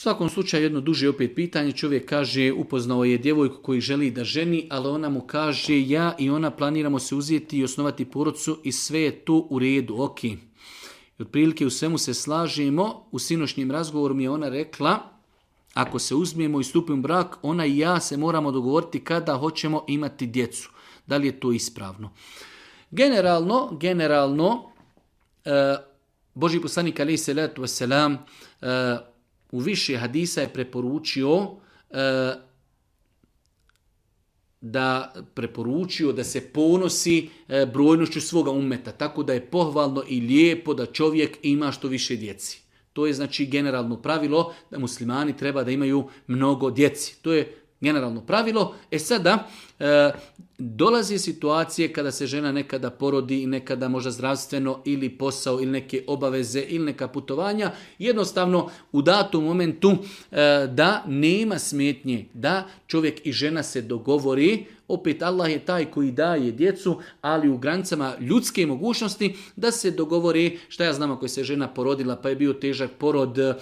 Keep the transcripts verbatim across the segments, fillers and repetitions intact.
svakom slučaju jedno duže opet pitanje. Čovjek kaže, upoznao je djevojku koji želi da ženi, ali ona mu kaže, ja i ona planiramo se uzeti i osnovati porodcu i sve je to u redu, ok. I otprilike u svemu se slažemo. U sinošnjem razgovoru mi je ona rekla, ako se uzmijemo i stupimo u brak, ona i ja se moramo dogovoriti kada hoćemo imati djecu. Da li je to ispravno? Generalno, generalno, e, Božji poslanik alejhi selatu vesselam e, u više hadisa je preporučio e, da preporučio da se ponosi e, brojnošću svoga ummeta, tako da je pohvalno i lijepo da čovjek ima što više djeci. To je znači generalno pravilo da muslimani treba da imaju mnogo djeci. To je generalno pravilo. E sada, e, dolazi situacije kada se žena nekada porodi i nekada možda zdravstveno ili posao ili neke obaveze ili neka putovanja. Jednostavno u datom momentu e, da nema smetnje da čovjek i žena se dogovori. Opet Allah je taj koji daje djecu, ali u granicama ljudske mogućnosti da se dogovori, šta ja znam ako je se žena porodila pa je bio težak porod e,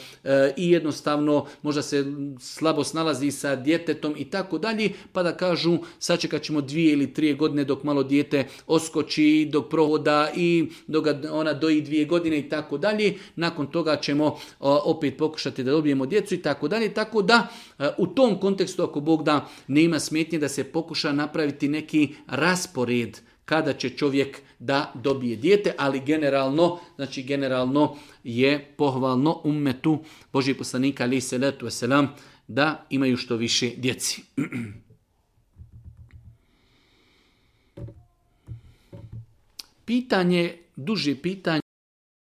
i jednostavno možda se slabo snalazi sa djetetom i tako dalje, pa da kažu sačekat ćemo dvije ili tri godine dok malo dijete oskoči, dok prohoda i dok ona doji dvije godine i tako dalje. Nakon toga ćemo o, opet pokušati da dobijemo djecu i tako dalje. Tako da e, u tom kontekstu ako Bog da nema smetnje da se pokuša napraviti neki raspored kada će čovjek da dobije dijete, ali generalno, znači generalno je pohvalno ummetu Božjeg poslanika alejhi selatu vesselam da imaju što više djeci. Pitanje, duže pitanje